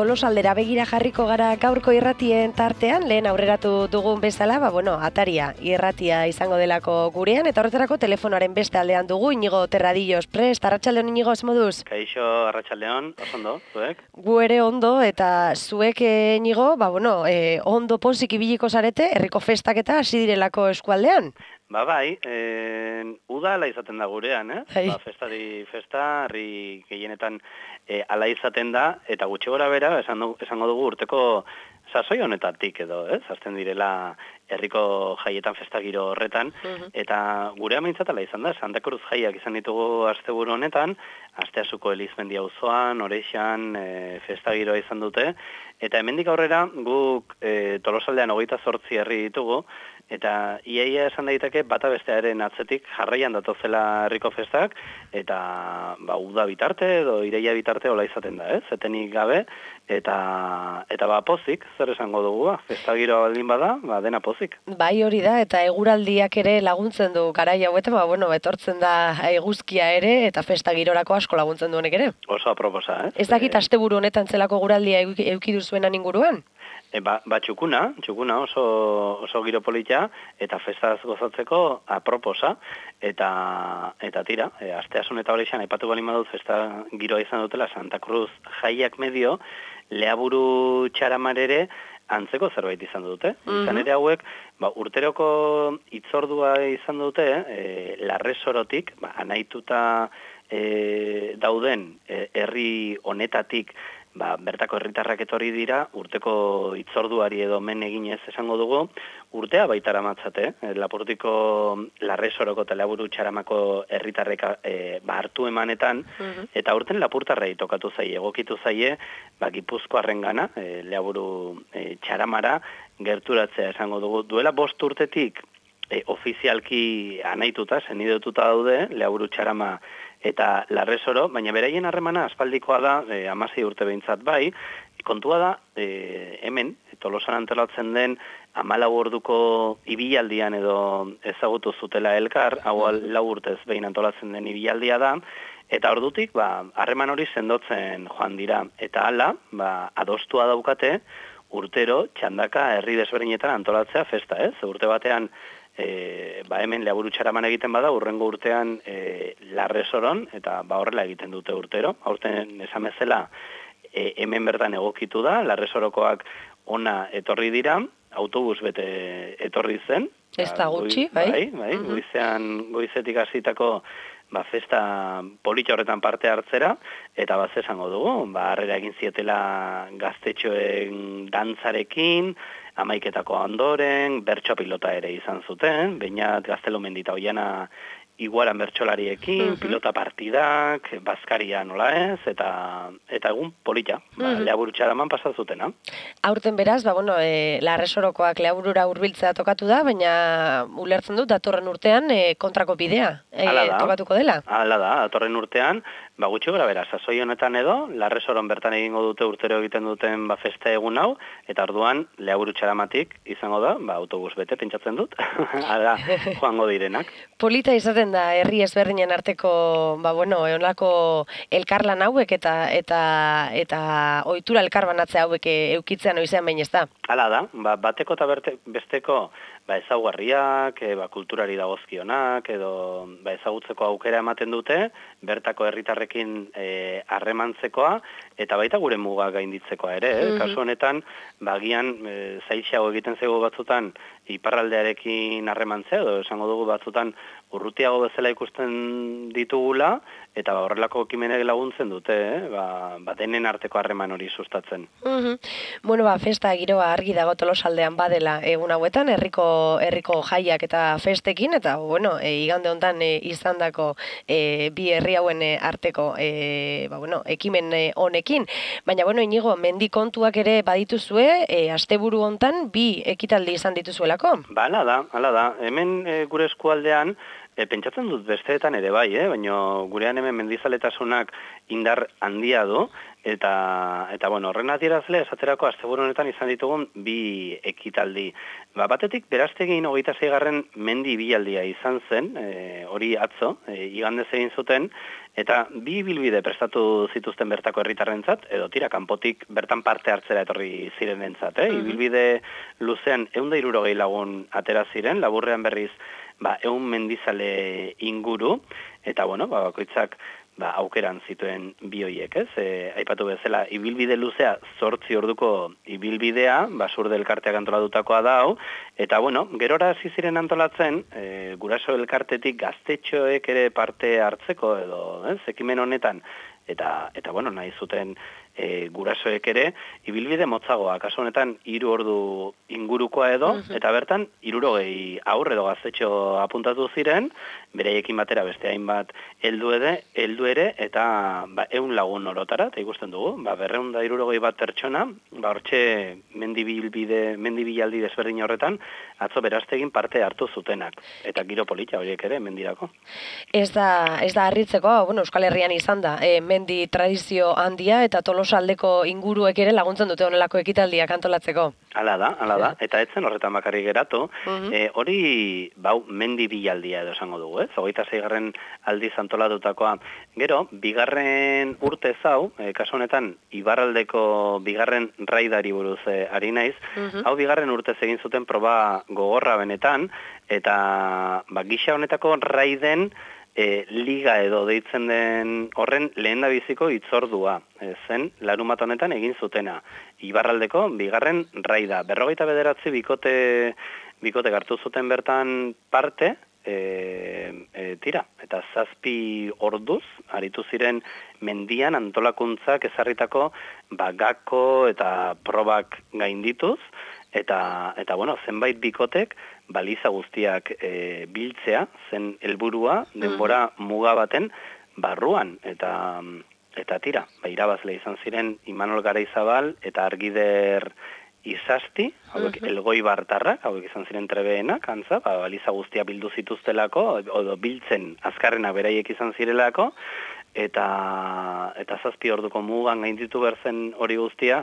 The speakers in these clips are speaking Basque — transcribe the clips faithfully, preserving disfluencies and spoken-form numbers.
Tolosaldera begira jarriko gara gaurko irratien tartean, lehen aurreratu dugun bezala, ba, bueno, ataria irratia izango delako gurean, eta horretarako telefonoaren beste aldean dugu, Inigo Terradillos prest, arratsaldeon Inigo, moduz? Kaixo, arratsaldeon, oso ondo, zuek? Gu ere ondo, eta zuek Inigo, ba, bueno, e, ondo pozik ibiliko zarete, herriko festak eta hasi direlako eskualdean? Ba, bai, e, udala izaten da gurean, eh? Hai. Ba, festari festa, herri gehienetan e, ala izaten da, eta gutxi gora bera, esan du, esango dugu urteko sasoi honetatik edo, ez? Azten direla herriko jaietan festagiro horretan, uh-huh. eta gure ameintzat ala izan da, Santa Cruz jaiak izan ditugu asteburu honetan, Asteasuko Elizmendi auzoan, Orexan, e, festagiroa izan dute, eta hemendik aurrera guk e, Tolosaldean hogeita zortzi herri ditugu, eta iaia esan daiteke bata bestearen atzetik jarraian datozela herriko festak, eta ba, uda bitarte edo ireia bitarte hola izaten da, ez? Etenik gabe, eta eta ba pozik, zer esango dugu, ba? Festagiroa baldin bada, ba, dena pozik. Bai, hori da, eta eguraldiak ere laguntzen du garai hauetan, ba, bueno, etortzen da eguzkia ere, eta festagirorako asko laguntzen du honek ere. Oso aproposa, ez? Ez dakit asteburu honetan zelako eguraldia eduki duzuenan inguruan? E, ba, ba txukuna, txukuna oso, oso giro polita, eta festaz gozatzeko aproposa, eta eta tira, e, asteasun eta horrexan, aipatu balin badut festa giroa izan dutela Santa Cruz jaiak medio, leaburu txaramarere antzeko zerbait izan dute. Mm-hmm. Izan ere hauek, ba, urteroko itzordua izan dute, e, larresorotik, ba, anaituta e, dauden e, herri honetatik, ba, bertako herritarrak etorri dira, urteko itzorduari edo men eginez esango dugu, urtea baitara matzate, eh? Lapurtiko larresoroko eta laburu txaramako herritarrek e, ba, hartu emanetan, uh-huh. eta urten lapurtarrei tokatu zaie, egokitu zaie, ba, Gipuzkoarren gana, e, laburu e, txaramara, gerturatzea esango dugu. Duela bost urtetik, e, ofizialki anaituta, zenidotuta daude, laburu txarama eta larresoro, baina beraien harremana aspaldikoa da, e, hamasei urte behintzat bai, kontua da, e, hemen, Tolosan antolatzen den, hamalau orduko ibilaldian edo ezagutu zutela elkar, hau lau urtez behin antolatzen den ibilaldia da, eta ordutik, ba, harreman hori sendotzen joan dira, eta hala, ba, adostua daukate, urtero, txandaka, herri desberdinetan antolatzea festa, ez? Urte batean, E, ba hemen laburu txaraman egiten bada, urrengo urtean e, larresoron, eta ba horrela egiten dute urtero. Aurten esan bezala e, hemen bertan egokitu da, larresorokoak ona etorri dira, autobus bete etorri zen. Ez da gutxi, bai? Bai, bai, uh-huh. goizean, goizetik hasitako ba, festa politxa horretan parte hartzera, eta bat esango dugu, ba, harrera egin zietela gaztetxoen dantzarekin, amaiketako ondoren, bertso pilota ere izan zuten, Beñat Gaztelumendita Oiana iguaran bertsolariekin, uh-huh. pilota partidak, bazkaria nola ez, eta eta egun polita, ba, uh-huh. leaburu txaraman pasazutena. Aurten beraz, ba, bueno, e, larresorokoak leaburura hurbiltzea tokatu da, baina ulertzen dut, datorren urtean e, kontrako bidea e, tokatuko dela. Hala da, datorren urtean, ba, gutxi gora bera, sasoi honetan edo, larresoron bertan egingo dute urtero egiten duten ba, festa egun hau, eta orduan leaburu txaramatik izango da, ba, autobus bete pentsatzen dut, hala, joango direnak. Polita izaten da herri ezberdinen arteko, ba bueno, eolako elkarlan hauek eta eta eta ohitura elkarbanatzea hauek eukitzen oizean behin ez da. Hala da, ba, bateko eta besteko ba, ezaugarriak, e, ba, kulturari dagozkionak, edo ba, ezagutzeko aukera ematen dute, bertako herritarrekin harremantzekoa, e, eta baita gure muga gainditzekoa ere. Mm-hmm. Kasu honetan, bagian e, zaitxeago egiten zego batzutan iparraldearekin harremantzea, edo esango dugu batzutan urrutiago bezala ikusten ditugula, eta ba, horrelako ekimenek laguntzen dute, eh? ba, ba, denen arteko harreman hori sustatzen. Mm-hmm. Bueno, ba, festa giroa argi dago Tolosaldean badela egun hauetan, herriko herriko jaiak eta festekin, eta bueno, e, igande hontan e, izandako e, bi herri hauen e, arteko e, ba, bueno, ekimen e, honekin. Baina, bueno, Inigo, mendi kontuak ere badituzue, e, asteburu hontan bi ekitaldi izan dituzuelako? Ba, hala da, hala da. Hemen e, gure eskualdean, E, pentsatzen dut besteetan ere bai, eh? Baina gurean hemen mendizaletasunak indar handia du, eta, eta bueno, horren adierazle, esaterako asteburu honetan izan ditugun bi ekitaldi. Ba, batetik, beraztegin hogeita zeigarren mendi bialdia izan zen, e, hori atzo, e, igandez egin zuten, eta bi bilbide prestatu zituzten bertako herritarrentzat, edo tira, kanpotik bertan parte hartzera etorri zirenentzat, eh? Uh-huh. Ibilbide luzean ehun eta hirurogei lagun atera ziren, laburrean berriz, ba, ehun mendizale inguru, eta bueno, ba, bakoitzak ba, aukeran zituen bi hoiek, ez? E, aipatu bezala, ibilbide luzea zortzi orduko ibilbidea, basurde elkarteak antolatutakoa da hau, eta bueno, gerora hasi ziren antolatzen, e, guraso elkartetik gaztetxoek ere parte hartzeko, edo, ez? Ekimen honetan, eta, eta bueno, nahi zuten e, gurasoek ere, ibilbide motzagoa, kasu honetan hiru ordu ingurukoa edo, uh-huh. eta bertan hirurogei aurre edo gaztetxo apuntatu ziren, bereiekin batera beste hainbat heldu ere, heldu ere eta ba, ehun lagun orotara, eta ikusten dugu, ba, berrehun eta hirurogei bat pertsona, ba, hortxe mendibilbide, mendibilaldi desberdin horretan, atzo beraztegin parte hartu zutenak, eta giro polita horiek ere mendirako. Ez da, ez da harritzeko, bueno, Euskal Herrian izan da, e, mendi tradizio handia eta Tolosaldeko inguruek ere laguntzen dute honelako ekitaldiak antolatzeko. Hala da, hala da, eta etzen horretan bakarrik geratu, uh-huh. e, hori bau mendi bilaldia edo esango dugu, ez? Hogeita zeigarren aldiz antolatutakoa. Gero, bigarren urte zau, e, kasu honetan, Ibarraldeko bigarren raidari buruz e, ari naiz, uh-huh. hau bigarren urtez egin zuten proba gogorra benetan, eta ba, gisa honetako raiden E, liga edo deitzen den horren lehendabiziko hitzordua e, zen larumat honetan egin zutena. Ibarraldeko bigarren raida. Berrogeita bederatzi bikote, bikote hartu zuten bertan parte, e, e, tira, eta zazpi orduz, aritu ziren mendian antolakuntzak ezarritako bagako eta probak gaindituz, eta, eta bueno, zenbait bikotek baliza guztiak e, biltzea, zen helburua denbora muga baten barruan, eta eta tira, ba, irabazle izan ziren Imanol Garaizabal eta Argider Izasti, hauek uh-huh. elgoi bartarrak, hauek izan ziren trebeenak, antza, ba, baliza guztia bildu zituztelako, edo biltzen azkarrenak beraiek izan zirelako, eta eta zazpi orduko mugan gainditu berzen hori guztia,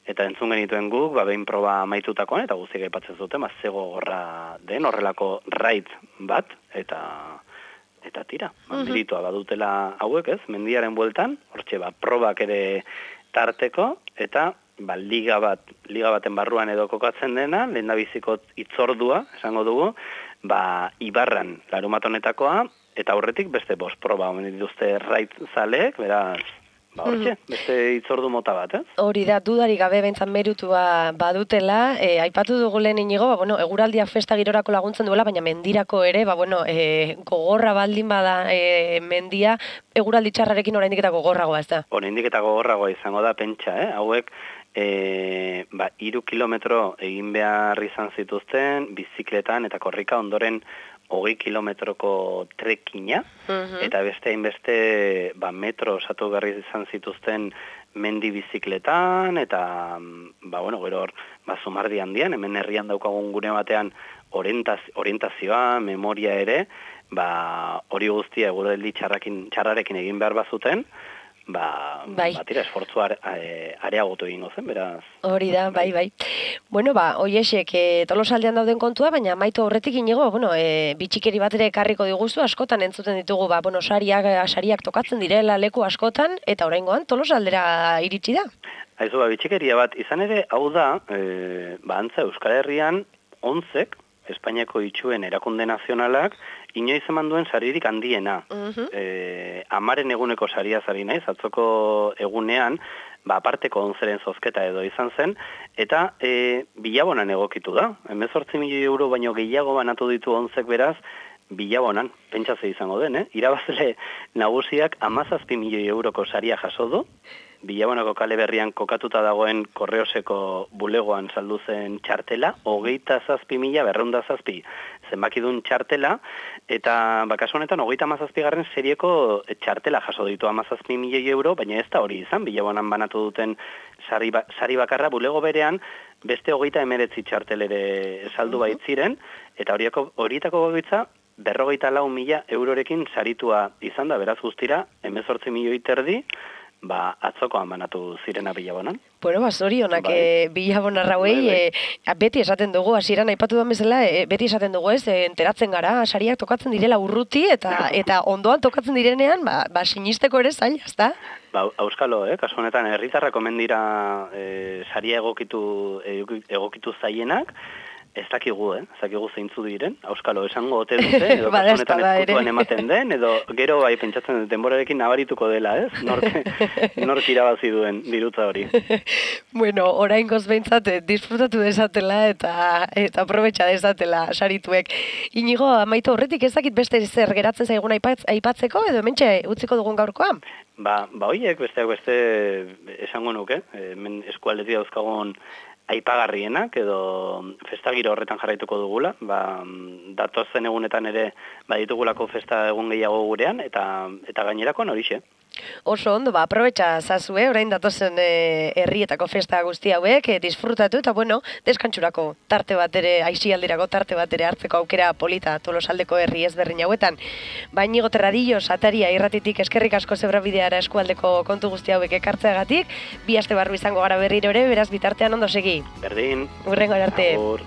eta entzun genituen guk, ba, behin proba amaitutakoan, eta guztiak aipatzen zuten, ba, zego gorra den horrelako raid bat, eta eta tira, uh-huh. meritua badutela hauek, ez, mendiaren bueltan, hortxe, ba, probak ere tarteko, eta ba, liga bat, liga baten barruan edo kokatzen dena, lehendabiziko hitzordua, esango dugu, ba, Ibarran larumat honetakoa, eta aurretik beste bost proba omen dituzte raid zaleek, beraz, ba, hortxe, beste hitzordu mota bat, ez? Hori da, dudarik gabe behintzat merutua badutela, e, aipatu dugu lehen inigo, ba, bueno, eguraldiak festa girorako laguntzen duela, baina mendirako ere, ba, bueno, e, gogorra baldin bada e, mendia, eguraldi txarrarekin oraindik eta gogorragoa, ez da? Oraindik eta gogorragoa izango da, pentsa, eh? Hauek, E, ba, iru kilometro egin behar izan zituzten, bizikletan eta korrika ondoren hogei kilometroko trekina, uh-huh. eta beste hainbeste ba, metro osatu behar izan zituzten mendi bizikletan, eta ba, bueno, gero ba, zumardi handian, hemen herrian daukagun gune batean orientaz, orientazioa, memoria ere, ba, hori guztia eguraldi txarrarekin egin behar bazuten, Ba, bai. ba, tira, esfortzu areagotu egingo zen, beraz. Hori da, bai, bai. Bueno, ba, oiesek, e, Tolosaldean dauden kontua, baina maitu aurretik inigo, bueno, e, bitxikeri bat ere ekarriko diguzu, askotan entzuten ditugu, ba, bueno, sariak, sariak tokatzen direla leku askotan, eta oraingoan Tolosaldera iritsi da. Haizu, ba, bitxikeria bat, izan ere, hau da, e, ba, antza Euskal Herrian, onzek, Espainiako itxuen erakunde nazionalak, inoiz eman duen saririk handiena. Uh-huh. E, amaren eguneko saria zari naiz, atzoko egunean, ba, aparteko onzeren zozketa edo izan zen, eta e, bilabonan egokitu da. hemezortzi milioi euro baino gehiago banatu ditu onzek beraz, bilabonan, pentsatze izango den, eh? Irabazle nagusiak hamazazpi milioi euroko saria jaso du, Bilabonako kale berrian kokatuta dagoen Korreoseko bulegoan saldu zen txartela, hogeita zazpi mila berreunda zazpi zenbakidun txartela, eta bakasu honetan hogeita hamazazpi garren serieko txartela jaso ditu hamazazpi milioi euro, baina ez da hori izan, Bilabonan banatu duten sari, ba, sari bakarra bulego berean, beste hogeita emeretzi txartel ere saldu baitziren, eta horietako gogoitza berrogeita lau mila eurorekin saritua izan da, beraz guztira, hemezortzi milioi terdi, ba, atzokoan banatu zirena Bilabonan. Bueno, ba, zorionak Bai. e, Bilabonarrauei, Bai, bai. e, beti esaten dugu, hasieran aipatu duan bezala, e, beti esaten dugu ez, e, enteratzen gara, sariak tokatzen direla urruti, eta eta ondoan tokatzen direnean, ba, ba sinisteko ere zaila, ezta? Ba, auskalo, eh? Kasu honetan, herritarrak omen dira e, saria egokitu, egokitu zaienak, ez dakigu, eh? Ez dakigu zeintzu diren, auskalo, esango ote dute, edo kasu honetan ezkutuan ematen den, edo gero bai pentsatzen dut denborarekin nabarituko dela, ez? Nork, nork irabazi duen dirutza hori. Bueno, oraingoz behintzat eh, disfrutatu desatela eta eta aprobetxa desatela sarituek. Inigo, amaitu horretik ez dakit beste zer geratzen zaigun aipatz, aipatzeko, edo hementxe utziko dugun gaurkoan? Ba, ba hoiek besteak beste esango nuke, hemen eskualdetik dauzkagun aipagarrienak edo festagiro horretan jarraituko dugula, ba, datozen egunetan ere baditugulako festa egun gehiago gurean, eta eta gainerakoan horixe. Oso ondo, ba, aprobetxa zazue, orain datozen e, herrietako festa guzti hauek, e, disfrutatu, eta bueno, deskantxurako tarte bat ere, aixialdirako tarte bat ere hartzeko aukera polita Tolosaldeko herri ezberdin hauetan. Ba, Inigo Terradillos, ataria irratitik eskerrik asko Zebrabideara eskualdeko kontu guzti hauek ekartzeagatik, bi aste barru izango gara berriro ere, beraz bitartean ondo segi. Berdin. Hurrengo arte. Agur.